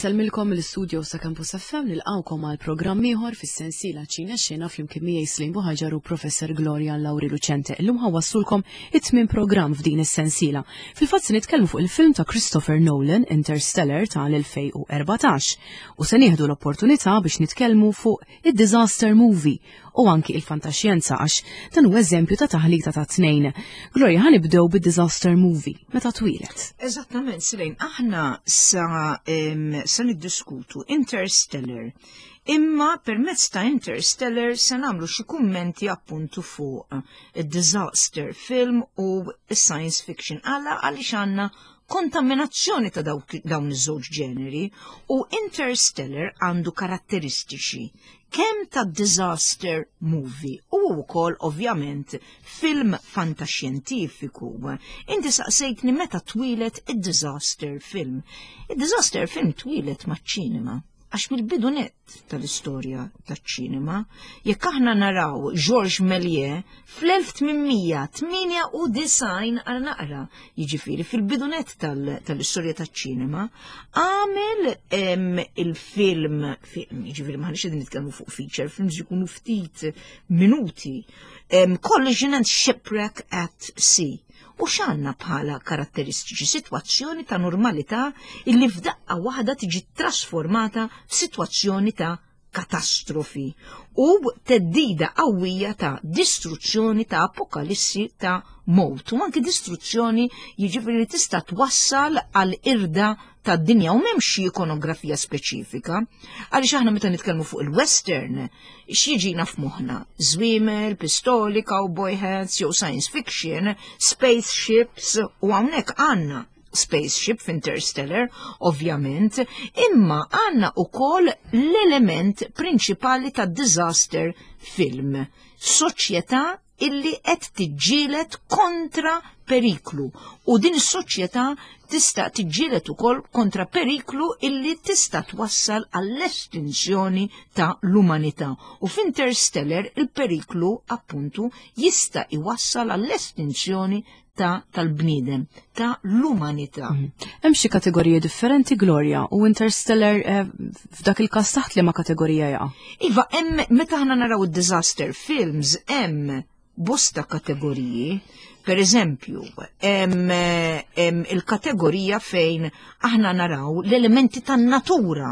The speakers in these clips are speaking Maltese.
Insellmilkom mill-istudio sa' Campus FM nilqawkom għal programm ieħor fis-sensiela Ċina Xena flimkien miegħi Slim Buħaġar u Professor Gloria Lauri Lucente. Illum ħawassulkom it-tmien programm f'din is-sensiela. Fil-fatt se nitkellmu fuq il-film ta' Christopher Nolan Interstellar tal-2014 u se nieħdu l-opportunità biex nitkellmu fuq id-disaster movie u anki il-fantaxjenza għax dan hu eżempju ta' taħlita ta' tnejn. Gloria, ħa nibdew bid-disaster movie, meta twilet. Eżattament, Silejn, aħna sa, sa niddiskutu Interstellar. Imma permezz ta' Interstellar se nagħmlu xi kummenti appuntu fuq id-disaster film u science fiction. Għala għaliex għandna kontaminazzjoni ta' dawn iż-żewġ ġeneri u Interstellar għandu karatteristiċi kemm ta' disaster movie u wkoll ovvjament film fantaxjentifiku. Inti saqsejtni meta twilet id-disaster film. Id-disaster film twilet maċ-ċinema għax mill-bidu nett tal-istorja taċ-ċinema, jekk aħna naraw Georges Méliès fl-1898 għal naqra, jiġifieri fil-bidu nett tal-istorja taċ-ċinema, għamel il-film, jiġifieri maħniex qegħdin nitkellmu fuq feature films jkunu ftit minuti, Collision and Shipwreck at Sea. U x'għandna bħala karatteristiċi sitwazzjoni ta' normalità illi f'daqqa waħda tiġi trasformata f'sitwazzjoni ta' katastrofi u theddida qawwija ta' distruzzjoni ta' apokalissi ta' mowt u anki distruzzjoni jiġifieri li tista' twassal għal irda tad-dinja u m'hemmx xi ikonografija speċifika. Għaliex aħna meta nitkellmu fuq il-western, x'jiġina f'moħħna? Żwiemel, pistoli, cowboy hats, jew science fiction, spaceships u hawnhekk għandna spaceship f'Interstellar, ovvjament, imma għandna ukoll l-element prinċipali ta' disaster film, soċjetà illi qed tiġġieled kontra periklu u din is-soċjetà tista' tiġġieled ukoll kontra periklu illi tista' twassal għall-estinzjoni ta' l-umanità. U f'Interstellar il-periklu appuntu jista' iwassal għall-estinzjoni ta' tal-bniedem, ta' l-umanità. Mhm. Hemm xi kategoriji differenti Gloria u Interstellar eh, f'dak il-każ taħt liema kategorija jaqa'? Iva, hemm meta aħna naraw id-disaster films hemm bosta kategoriji. Per eżempju, hemm il-kategorija fejn aħna naraw l-elementi tan-natura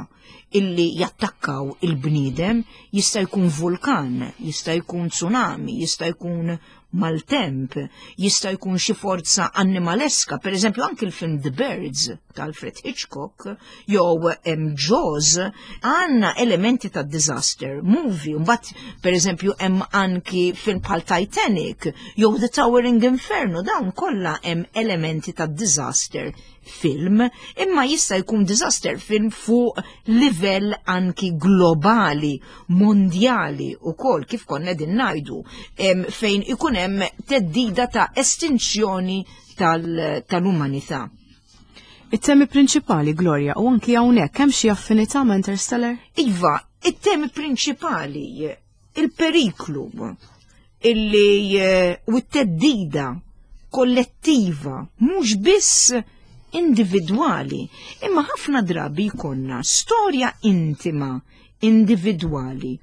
illi jattakkaw il-bniedem, jista' jkun vulkan, jista' jkun tsunami, jista' jkun maltemp, jista' jkun xi forza annimaleska, per eżempju anki l-film The Birds ta' Alfred Hitchcock, jew hemm Jaws, għandna elementi ta' disaster movie, mbagħad per eżempju hemm anki film bħal Titanic, jew The Towering Inferno, dawn kollha hemm elementi ta' disaster film, imma jista' jkun disaster film fuq livell anki globali, mondjali ukoll kif konna din ngħidu, fejn ikun hemm theddida ta' estinzjoni tal-umanità. It-temi prinċipali, Gloria, u anki hawnhekk hemm xi affinità ma' Interstellar? Iva, it-temi prinċipali, il-periklu illi eh, u t-teddida kollettiva, mhux biss individwali, imma ħafna drabi jkollna storja intima individwali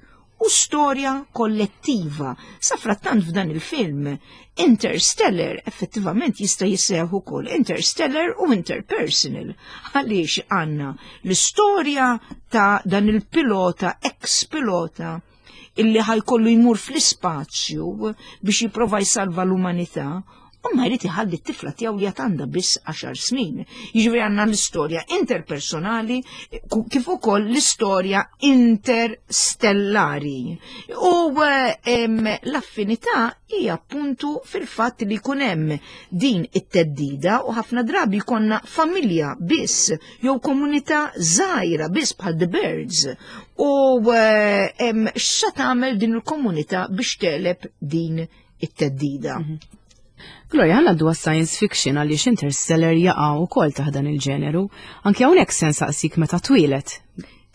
u storja kollettiva. Sa frattant f'dan il-film, Interstellar effettivament jista' jisseħ ukoll Interstellar u Interpersonal. Għaliex għandna l-istorja ta' dan il-pilota, ex-pilota, illi ħajkollu jmur fl-ispazju biex jipprova jsalva l-umanità u ma jrid iħalli t-tifla tiegħu li għandha biss 10 snin. Jiġifieri għandna l-istorja interpersonali kif ukoll l-istorja interstellari. U l-affinità hija appuntu fil-fatt li jkun hemm din it-teddida u ħafna drabi jkollna familja biss jew komunità żgħira biss bħal The Birds u x'sa tagħmel din il-komunità biex teleb din it-teddida. Mhm. Gloria, ħana għaddu science fiction għaliex Interstellar jaqa' ukoll taħt dan il-ġeneru. Anki hawnhekk se nsaqsik meta twilet.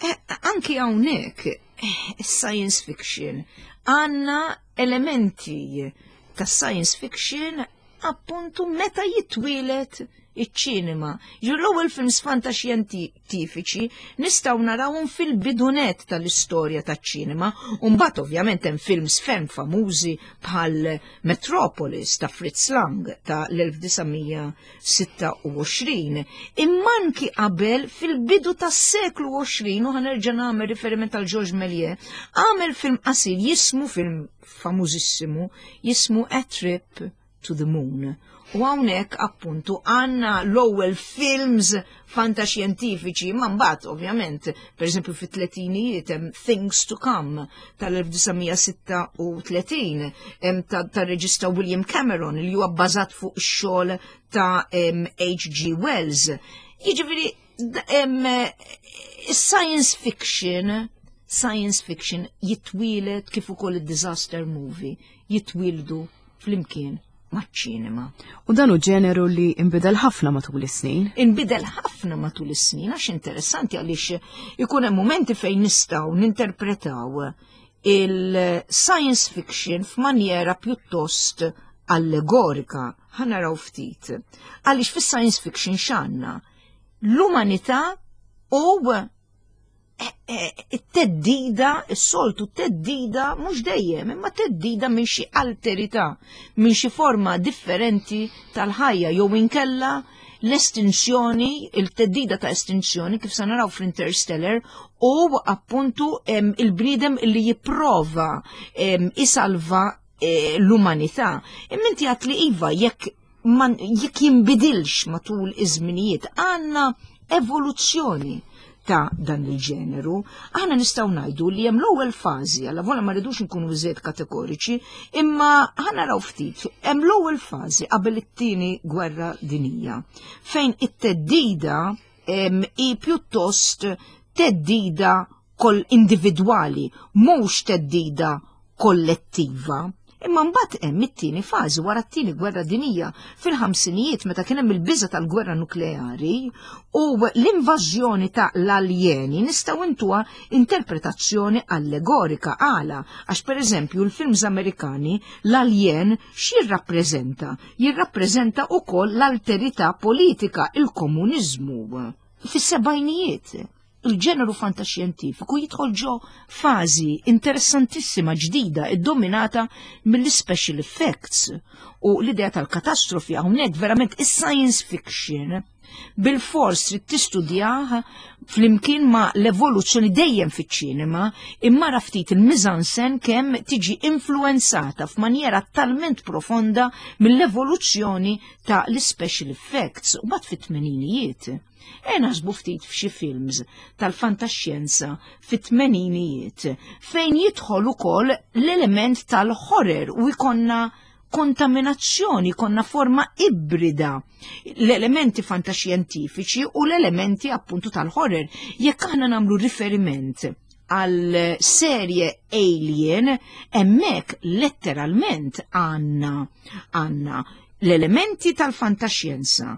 Eh, anki hawnhekk eh, science fiction għandna elementi ta' science fiction appuntu meta jitwilet. iċ-ċinema. Ġifieri l-ewwel films fantaxjentifiċi nistgħu narawhom fil-bidunet tal-istorja taċ-ċinema, u mbagħad ovvjament hemm films ferm famużi bħal Metropolis ta' Fritz Lang ta' l-1926. Imma anki qabel fil-bidu tas-seklu 20 u ħanerġa' nagħmel riferiment għal Georges Méliès, għamel film qasir jismu film famużissimu jismu A Trip to the Moon. U hawnhekk appuntu għandna l-ewwel films fantaxjentifiċi, ma mbagħad ovvjament, pereżempju fit-tletinijiet hemm Things to Come tal-1936 hemm tar-reġista William Cameron li huwa bbażat fuq ix-xogħol ta' H.G. Wells. Jiġifieri science fiction science fiction jitwieled kif ukoll id-disaster movie jitwieldu flimkien maċ-ċinema. U dan hu ġeneru li inbidel ħafna matul is-snin. Inbidel ħafna matul is-snin għax interessanti għaliex ikun hemm momenti fejn nistgħu ninterpretaw il-science fiction f'manjera pjuttost allegorika. Ħa naraw ftit. Għaliex fis-science fiction x'għandna? L-umanità u it-teddida, is-soltu teddida mhux dejjem, imma teddida minn xi alterità, minn xi forma differenti tal-ħajja jew inkella l-estinzjoni, il-teddida ta' estinzjoni kif se naraw fl-Interstellar u appuntu il-bniedem li jipprova isalva eh, l-umanità. Imma inti għat li iva jekk jekk jinbidilx matul iż-żminijiet għandna evoluzzjoni ta' dan il-ġeneru, aħna nistgħu ngħidu li hemm l-ewwel fażi, alla vola ma rridux nkunu iżjed kategoriċi, imma ħa naraw ftit, hemm l-ewwel fażi qabel it-tieni gwerra dinija, fejn it-teddida hi pjuttost teddida kol individwali, mhux teddida kollettiva. Imma mbagħad hemm it-tieni fażi wara t-tieni gwerra dinija fil-ħamsinijiet meta kien hemm il-biża tal-gwerra nukleari u l-invażjoni ta' l-aljeni nistgħu intuha interpretazzjoni allegorika għala għax pereżempju l-films Amerikani l-aljen x'jirrappreżenta? Jirrappreżenta wkoll l-alterità politika, il-komuniżmu. Fis-sebgħinijiet il-ġeneru fantaxjentifiku jidħol ġo fażi interessantissima ġdida iddominata mill-special effects u l-idea tal-katastrofi hawnhekk verament is-science fiction bil-fors trid tistudjah flimkien ma' l-evoluzzjoni dejjem fiċ-ċinema imma ra ftit il-mizansen kemm tiġi influenzata f'manjera talment profonda mill-evoluzzjoni ta' l-special effects u bat fit-tmeninijiet. E naħsbu ftit f'xi films tal-fantaxjenza fit-tmeninijiet fejn jidħol ukoll l-element tal-horror u jkollna kontaminazzjoni, konna forma ibrida l-elementi fantaxjentifiċi u l-elementi appuntu tal-horror. Jekk aħna nagħmlu riferiment għal serje Alien, hemmhekk letteralment għandna għandna l-elementi tal-fantaxjenza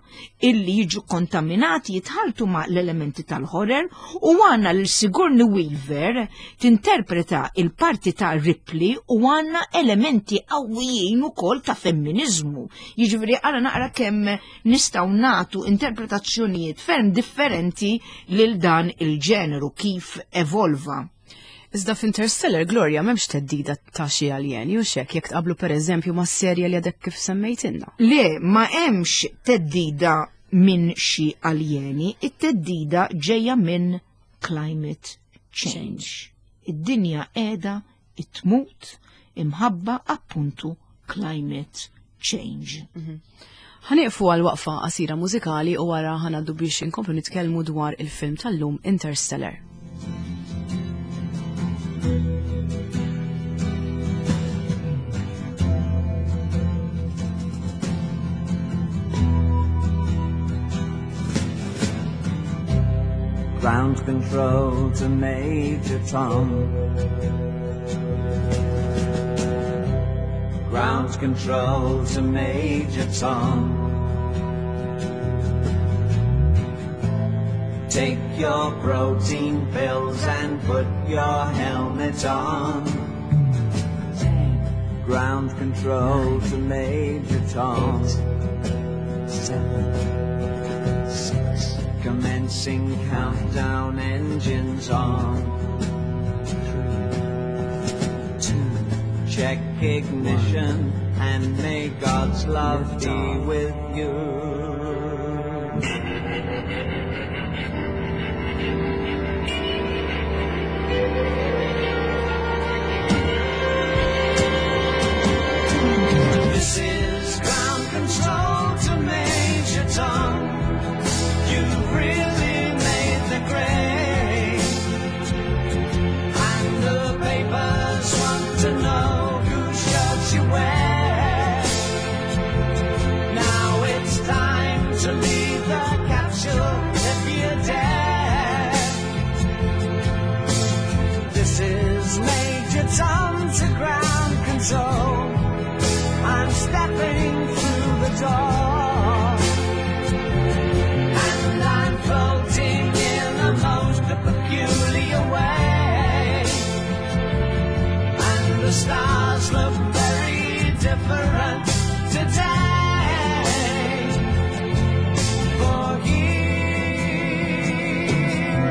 illi jiġu kontaminati jitħaltu ma' l-elementi tal-horror u għanna l Sigourney Weaver tinterpreta il-parti ta' Ripley u għanna elementi qawwijin ukoll ta' femminizmu. Jiġifieri għara naqra kemm nistgħu nagħtu interpretazzjonijiet ferm differenti lil dan il-ġeneru kif evolva. Iżda f'Interstellar Gloria m'hemmx teddida ta' xi aljeni u xek jekk tqablu pereżempju ma' serje li għadek kif semmejtilna. Le, ma hemmx teddida minn xi aljeni, it-teddida ġejja minn climate change. Id-dinja qiegħda tmut imħabba appuntu climate change. Mhm. Ħanieqfu għal waqfa qasira mużikali u wara ħanaddu biex inkomplu nitkellmu dwar il-film tal-lum Interstellar. Ground control to Major Tom. Ground control to Major Tom. Take your protein pills and put your helmet on. Ground control to Major Tom. 8, 7, Commencing countdown, engines on. 3, 2, check ignition, 1, and may God's love be with you. This is ground control to Major Tom. You've really made the grade. And the papers want to know whose shirt you wear. Now it's time to leave the capsule if you dare. This is Major Tom to ground control. I'm stepping through the door. And I'm floating in the most peculiar way. And the stars look very different today. For here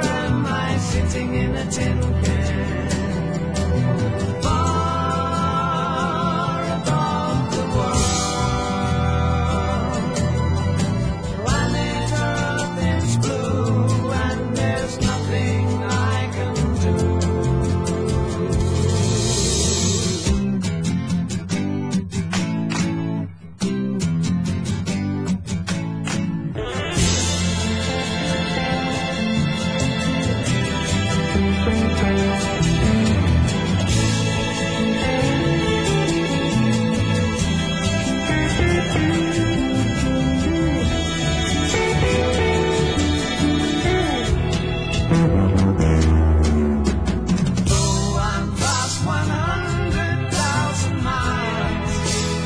am I sitting in a tin can. Far above the world. Planet Earth is blue and there's nothing I can do. Though I'm past 100,000 miles,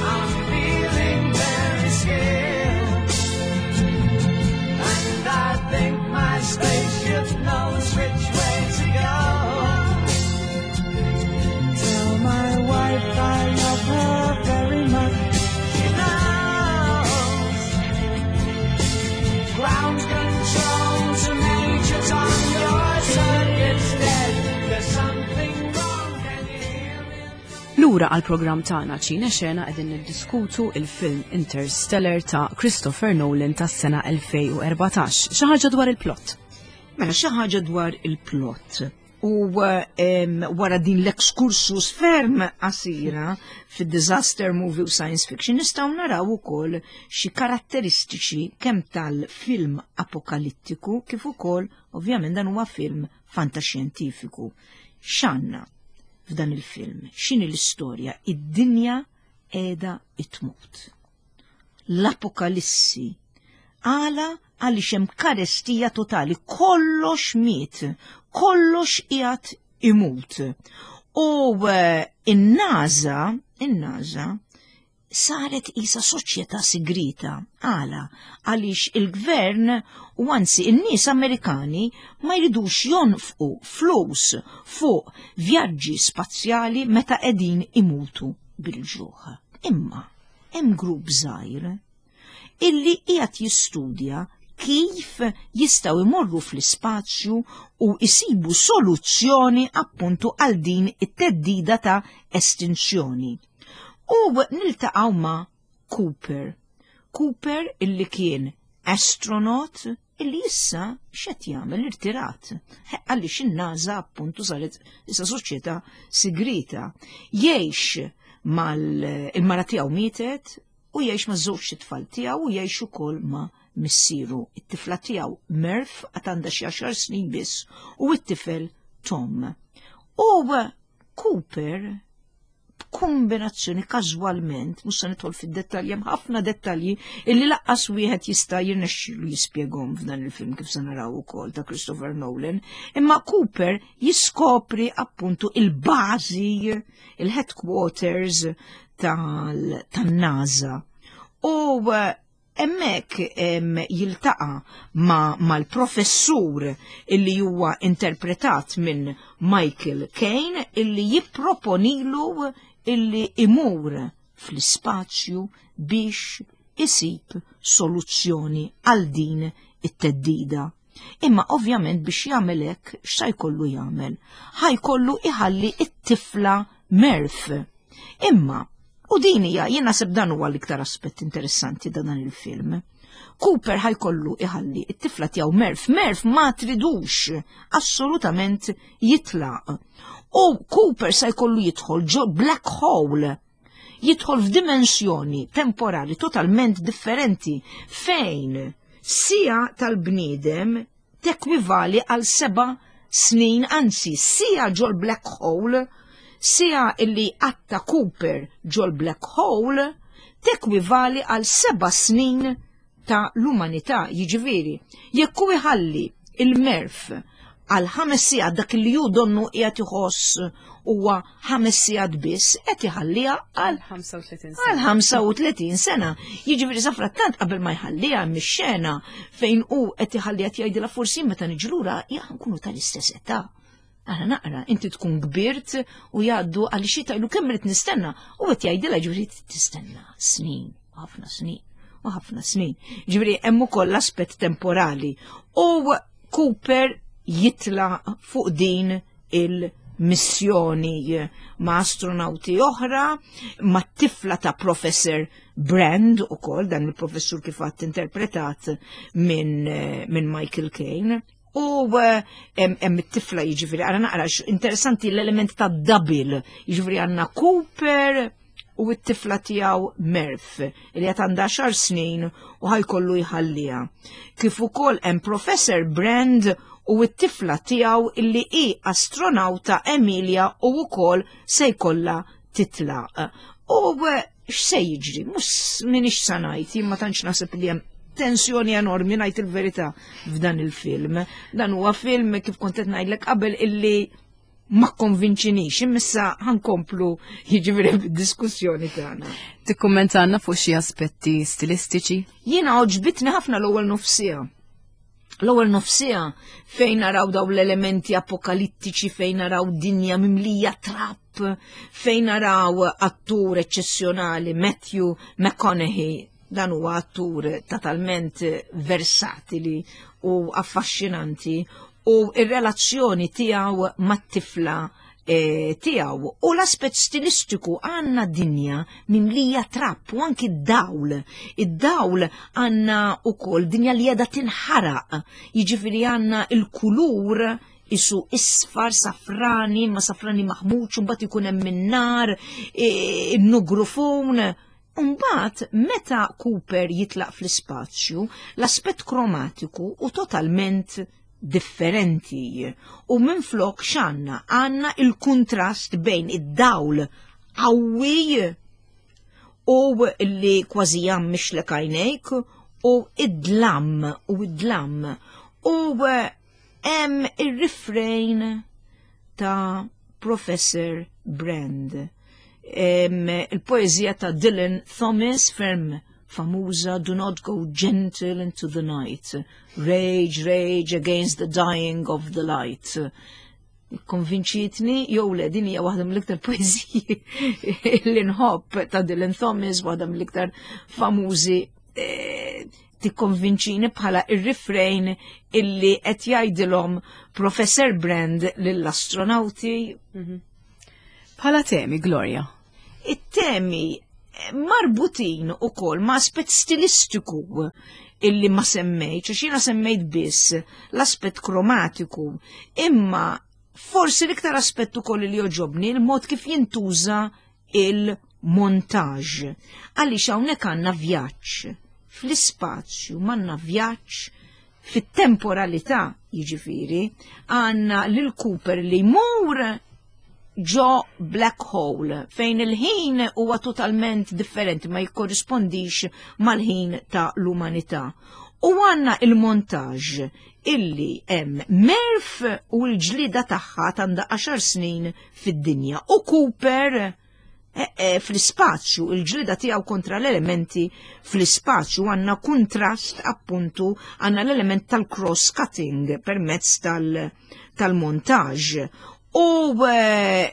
I'm feeling very scared. And I think my spaceship knows which way to go. Tell my wife I love her very much. She knows. Ground control to Major Tom, your circuit's dead. There's something wrong, can you hear me? Lura għal programm tagħna Ċine Xena qegħdin niddiskutu il-film Interstellar ta' Christopher Nolan tas-sena 2014. Xi ħaġa dwar il-plot. Mela xi ħaġa dwar il-plot. U wara din l-excursus ferm qasira fid-disaster movie u science fiction nistgħu naraw ukoll xi karatteristiċi kemm tal-film apokalittiku kif ukoll ovvjament dan huwa film fantaxjentifiku. X'għandna f'dan il-film? X'inhi l-istorja? Id-dinja qiegħda tmut. L-apokalissi. Għala għaliex hemm karestija totali, kollox miet, kollox qiegħed imut. U in-NASA saret isa soċjetà sigrita. Għala, għaliex il-gvern u anzi in-nies Amerikani ma jridux jonfqu flus fuq vjaġġi spazjali meta qegħdin imutu bil-ġuħ. Imma hemm grupp żgħir illi qiegħed jistudja kif jistgħu jmorru fl-ispazju u jsibu soluzzjoni appuntu għal din it-teddida ta' estinzjoni. U niltaqgħu ma' Cooper. Cooper illi kien astronaut illi issa x'qed jagħmel irtirat. Għaliex in-NASA appuntu saret issa soċjetà sigrita. Jgħix mal-mara tiegħu mietet u jgħix ma' żewġ tfal tiegħu u jgħix ukoll ma' missieru. It-tifla tiegħu Murph għad għandha xi 10 snin biss u t-tifel Tom. U Cooper b'kombinazzjoni każwalment, mhux se nidħol fid-dettalji, hemm ħafna dettalji illi laqqas wieħed jista' jirnexxielu jispjegahom f'dan il-film kif se naraw ukoll ta' Christopher Nolan, imma Cooper jiskopri appuntu il-bażi, il-headquarters tan-NASA. U hemmhekk jiltaqa' mal-professur illi huwa interpretat minn Michael Caine illi jipproponilu illi imur fl-ispazju biex isib soluzzjoni għal din it-teddida. Imma ovvjament biex jagħmel hekk x'sa jkollu jagħmel? Ħa jkollu iħalli it-tifla Murph. Imma, u din hija jien naħseb dan huwa l-iktar aspett interessanti ta' dan il-film. Cooper ħajkollu iħalli it-tifla tiegħu Murph. Murph ma tridux assolutament jitlaq. U Cooper se jkollu jidħol ġo black hole jidħol f'dimensjoni temporali totalment differenti fejn sija tal-bniedem tekwivali għal seba' snin, anzi sija ġol black hole, sija illi għatta Cooper ġol black hole, tekwivali għal seba' snin ta' l-umanità, jiġifieri, jekk hu iħalli il-Murph għal ħames sigħat dak li hu donnu qiegħed iħoss huwa ħames sigħat biss, qed iħalliha għal 35 sena. Għal 35 sena. Jiġifieri safrattant qabel ma jħalliha mix-xena fejn hu qed iħalliha jgħidilha forsi meta niġu lura nkunu tal-istess età. Ara naqra, inti tkun kbirt u jgħaddu għal xi tajlu kemm irid nistenna u qed jgħidilha ġifieri tistenna snin, ħafna snin u ħafna snin. Ġifieri hemm ukoll l-aspett temporali. U Cooper jitla fuq din il-missjoni ma' astronauti oħra, ma' tifla ta' Professor Brand u koll, dan il-professur kif għat interpretat minn min Michael Caine. U eh, hemm it-tifla jiġifieri għara naqra interessanti l-element ta' double, jiġifieri għandna Cooper u t-tifla tiegħu Murph li qed għandha xar snin u ħajkollu jħalliha. Kif ukoll hemm Professor Brand u t-tifla tiegħu illi hi astronauta Emilia u wkoll se jkollha titlaq. U eh, x'se jiġri? Mhux minix sa ngħid, jien ma tantx naħseb li hemm tensjoni enormi ngħid il-verità f'dan il-film. Dan huwa film kif kont qed ngħidlek qabel illi ma konvinċinix, imissa ħankomplu jiġifieri bid-diskussjoni tagħna. Tikkummentanna fuq xi aspetti stilistiċi? Jiena għoġbitni ħafna l-ewwel nofsija. L-ewwel nofsija fejn naraw daw l-elementi apokalittiċi, fejn naraw dinja mimlija trap, fejn naraw attur eċċezzjonali Matthew McConaughey, dan huwa attur totalment versatili u affaxxinanti u ir-relazzjoni tiegħu mat-tifla eh, tiegħu u l-aspett stilistiku għandna dinja mimlija trapp u anki d-dawl. Id-dawl għandna ukoll dinja li qiegħda tinħaraq, jiġifieri għandna il-kulur isu isfar safrani, ma safrani maħmuċ, mbagħad ikun hemm min-nar, eh, in-nugrufun. Mbagħad meta Cooper jitlaq fl-ispazju, l-aspett kromatiku u totalment differenti. U minflok x'għandna? Għandna il-kuntrast bejn id-dawl qawwi u li kważi jgħammixlek għajnejk u id-dlam u id-dlam. U hemm ir-refrain ta' Professor Brand. Il-poezija ta' Dylan Thomas ferm famuża Do not go gentle into the night. Rage, rage against the dying of the light. Konvinċitni, jew le din hija waħda mill-iktar poeżiji li nħobb ta' Dylan Thomas, waħda mill-iktar famużi eh, tikkonvinċini bħala ir-refrain illi qed jgħidilhom Professor Brand lill-astronauti. Mhm. Bħala temi, Gloria. It-temi marbutin ukoll ma' aspett stilistiku illi ma semmejt, għax jiena semmejt biss l-aspett kromatiku, imma forsi l-iktar aspett ukoll li joġobni il-mod kif jintuża il-montaġ. Għaliex hawnhekk għandna vjaġġ fl-ispazju, m'għandna vjaġġ fit-temporalità, jiġifieri, għandna lil Cooper li jmur ġo black hole fejn il-ħin huwa totalment differenti ma jikkorrispondix mal-ħin ta' l-umanità. U għanna il-montaġ illi hemm Murph u l-ġlida tagħha għandha 10 snin fid-dinja u Cooper eh, eh, fl-ispazju, il-ġlida tiegħu kontra l-elementi fl-ispazju għandna kuntrast appuntu għandna l-element tal-cross cutting permezz tal-montaġ. U eh,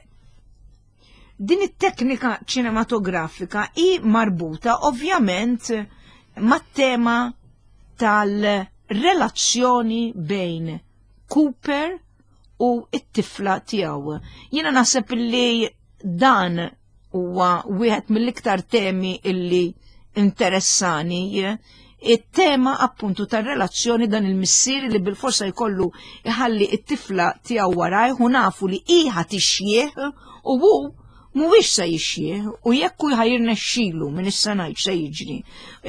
din it-teknika ċinematografika hi marbuta ovvjament mat-tema tal- relazzjoni bejn Cooper u it-tifla tiegħu. Jiena naħseb li dan huwa wieħed mill-iktar temi illi interessani it-tema appuntu tar-relazzjoni dan il-missier li bil-forsa jkollu iħalli it-tifla tiegħu warajh u nafu li iħa tixjieħ u hu mhuwiex se jixjieħ u jekk hu ħajrnexxilu minn issa ngħid se jiġri.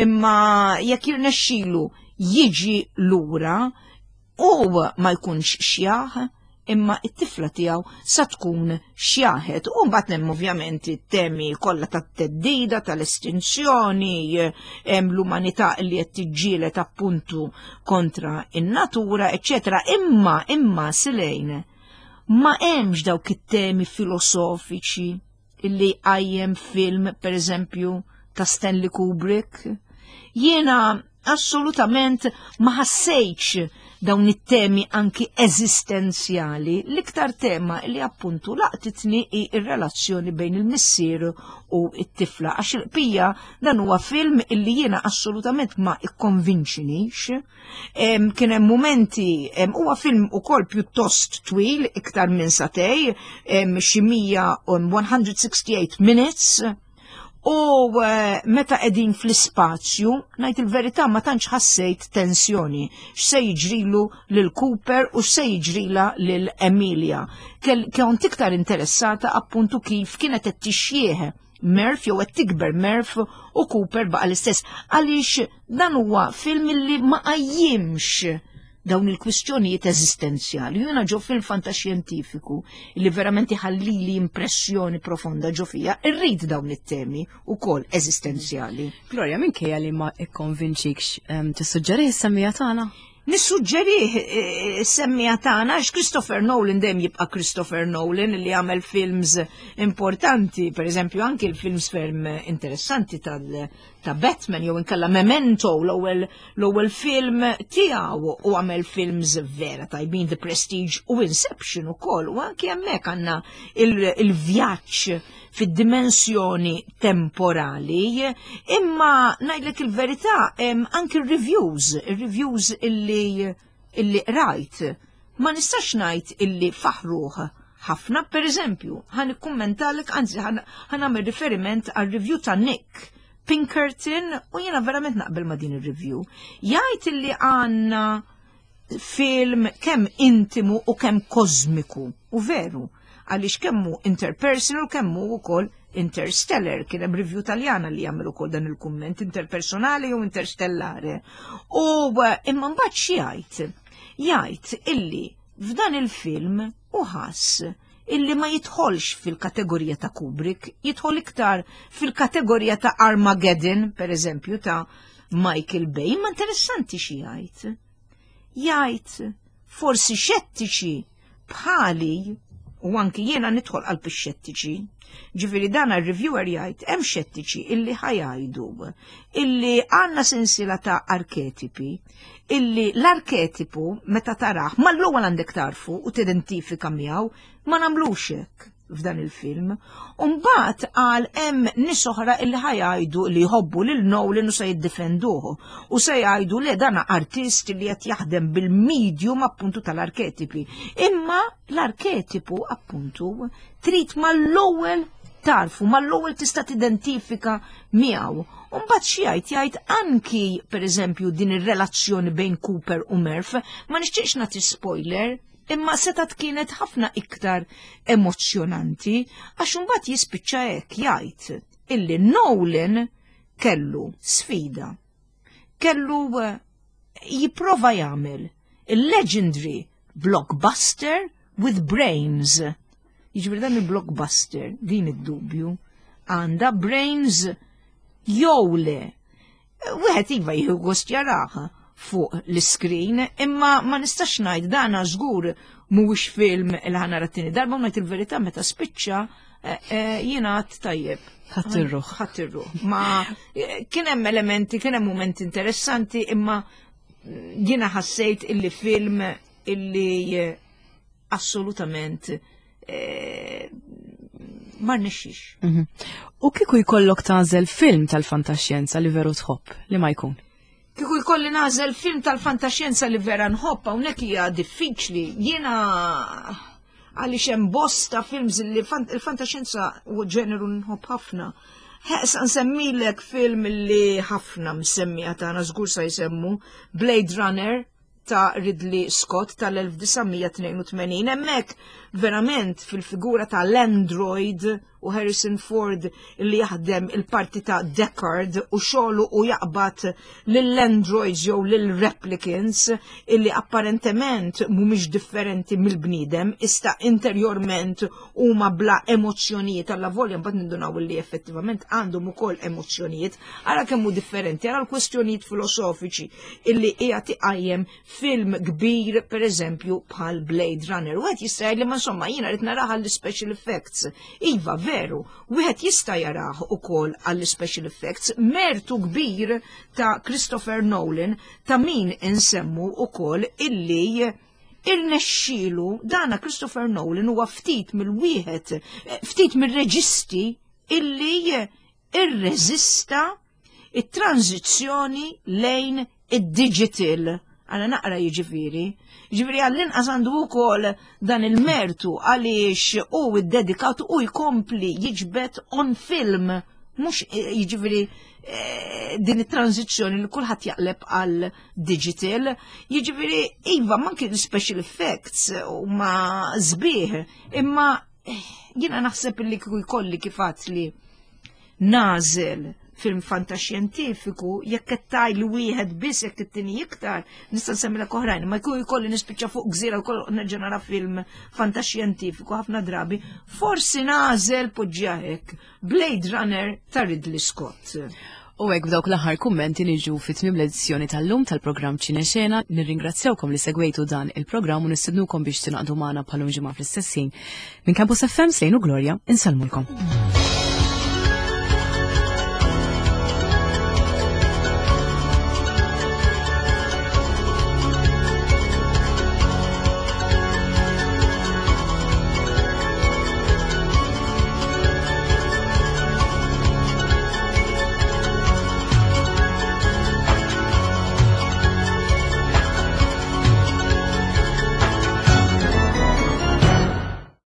Imma jekk jirnexxilu jiġi lura u ma jkunx xjaħ imma it-tifla tiegħu sa tkun xjaħet. U mbagħad hemm ovvjament it-temi kollha tat-teddida, tal-estinzjoni, hemm l-umanità li qed tiġġieled appuntu kontra in-natura, eċċetera. Imma imma Silejn ma hemmx dawk it-temi filosofiċi illi għajjem film, per eżempju, ta' Stanley Kubrick. Jiena assolutament ma ħassejtx dawn it-temi anki eżistenzjali. L-iktar tema li appuntu laqtitni hi r-relazzjoni bejn il-missier u it-tifla. Għax il-qpija dan huwa film illi jiena assolutament ma ikkonvinċinix. Kien hemm mumenti, huwa film ukoll pjuttost twil, iktar minn satej, xi 168 minutes. U eh, meta qegħdin fl-ispazju, ngħid il-verità ma tantx ħassejt tensjoni x'se jiġrilu lil Cooper u x'se jiġrila lil Emilia. Kont iktar interessata appuntu kif kienet qed tixjieħ Murph jew qed tikber Murph u Cooper baqa' l-istess għaliex dan huwa film li ma qajjimx dawn il-kwistjonijiet eżistenzjali. Jiena ġo film fantaxjentifiku li verament iħallili impressjoni profonda ġo fija, irrid dawn it-temi ukoll eżistenzjali. Gloria, minkejja li ma ikkonvinċikx tissuġġerih is-semmija tagħna? Nissuġġerih eh, is-semmija tagħna għax Christopher Nolan dejjem jibqa' Christopher Nolan li għamel films importanti, per eżempju anki l-films ferm interessanti tal ta' Batman jew inkella Memento l-ewwel l-ewwel film tiegħu u għamel films vera tajbin The Prestige u Inception ukoll u anki hemmhekk għandna il-vjaġġ fid-dimensjoni temporali imma ngħidlek il-verità anki r-reviews, ir-reviews illi illi qrajt ma nistax ngħid illi faħruh ħafna, per eżempju, ħan ikkummentalek, anzi ħan nagħmel riferiment għal review ta' Nick Pinkerton u jiena verament naqbel ma' din ir-review. Jgħid illi għandna film kemm intimu u kemm kosmiku u veru għaliex kemmu interpersonal kemmu wkoll interstellar kien hemm review Taljana li jagħmel ukoll dan il-kumment interpersonali jew interstellare. U eh, imma mbagħad xi jgħid? Jgħid illi f'dan il-film u ħass illi ma jidħolx fil-kategorija ta' Kubrick, jidħol iktar fil-kategorija ta' Armageddon, per eżempju, ta' Michael Bay, ma interessanti xi jgħid. Jgħid forsi xettiċi bħali u anki jiena nidħol qalb ix-xettiċi. Ġifieri dan ar-reviewer jgħid hemm xettiċi illi ħajajdu illi għandna sensiela ta' arketipi illi l-arketipu meta taraħ mal-ewwel għandek tarfu u tidentifika miegħu ma nagħmlux hekk f'dan il-film. Umbagħad qal hemm nies oħra illi ħajajdu li jħobbu lil Nolan u se jiddefenduh u se jgħidu li dan artist li qed jaħdem bil-medium appuntu tal-arketipi. Imma l-arketipu appuntu trid mal-ewwel tarfu, mal-ewwel tista' tidentifika miegħu. Umbagħad xi jgħid jgħid anki pereżempju din ir-relazzjoni bejn Cooper u Murph, ma nixtieqx nagħti spoiler, imma setat kienet ħafna iktar emozzjonanti għax imbagħad jispiċċa hekk jgħid illi Nolan kellu sfida. Kellu eh, jipprova jagħmel il-legendary blockbuster with brains. Jiġifieri dan il-blockbuster, din id-dubju, għandha brains jew le. Wieħed iva jieħu gost jaraha fuq l-iskrin, imma ma nistax ngħid dana żgur mhuwiex film il ħana t-tieni darba ngħid il-verità meta spiċċa eh, eh, jiena għad tajjeb. Ħadd ir-ruħ. Ħadd ir-ruħ. Ma eh, kien hemm elementi, kien hemm mumenti interessanti, imma jiena ħassejt illi film illi assolutament eh, ma rnexxix. Mhm. U kieku jkollok tagħżel film tal-fantaxjenza li veru tħobb li ma jkun? Kieku jkolli nagħżel film tal-fantaxjenza li vera nħobb hawnhekk hija diffiċli. Jiena għaliex hemm bosta films li il-fantaxjenza u ġeneru nħobb ħafna. Sa nsemmilek film li ħafna msemmija tagħna żgur sa jsemmu Blade Runner ta' Ridley Scott tal-1982. Hemmhekk verament fil-figura ta' l-Android u Harrison Ford li jaħdem il-parti ta' Deckard u xogħlu u jaqbad lill-androids jew lill-replicants illi apparentement mhumiex differenti mill-bniedem, ista interjorment huma bla emozzjonijiet alla volja mbagħad nindunaw li effettivament għandhom ukoll emozzjonijiet, ara kemm hu differenti, ara l-kwestjonijiet filosofiċi illi qiegħed iqajjem film kbir pereżempju bħal Blade Runner. Wieħed jista' jgħid li ma insomma jiena rid narah għall-special effects. Iva, veru, wieħed jista' jarah ukoll għall-special effects. Mertu kbir ta' Christopher Nolan ta' min insemmu ukoll illi irnexxielu dana Christopher Nolan huwa ftit mill-wieħed ftit mir-reġisti illi irreżista it-tranżizzjoni lejn id-digital. Għana naqra jiġifieri. Jiġifieri għall-inqas għandu wkoll dan il-mertu għaliex hu iddedikat u jkompli jiġbed on film mhux eh, jiġifieri eh, din it-tranzizzjoni li kulħadd jaqleb għal digital. Jiġifieri iva manki l-special effects huma sbieħ, imma eh, jiena naħseb li kieku jkolli kif li nagħżel film fantaxjentifiku jekk qed tgħid li wieħed biss jekk it-tieni iktar nista' nsemmilek oħrajn, ma jkun jkolli nispiċċa fuq gżira wkoll nerġa' nara film fantaxjentifiku ħafna drabi, forsi nagħżel poġġiha hekk Blade Runner ta' Ridley Scott. U hekk b'dawk l-aħħar kummenti niġu fi tmiem l-edizzjoni tal-lum tal-programm Ċinexena. Nirringrazzjawkom li segwejtu dan il-programm u nistednukom biex tingħaqdu magħna bħalum ġimgħa fl-istess ħin. Minn Campus FM Slejnu Gloria, insellmulkom.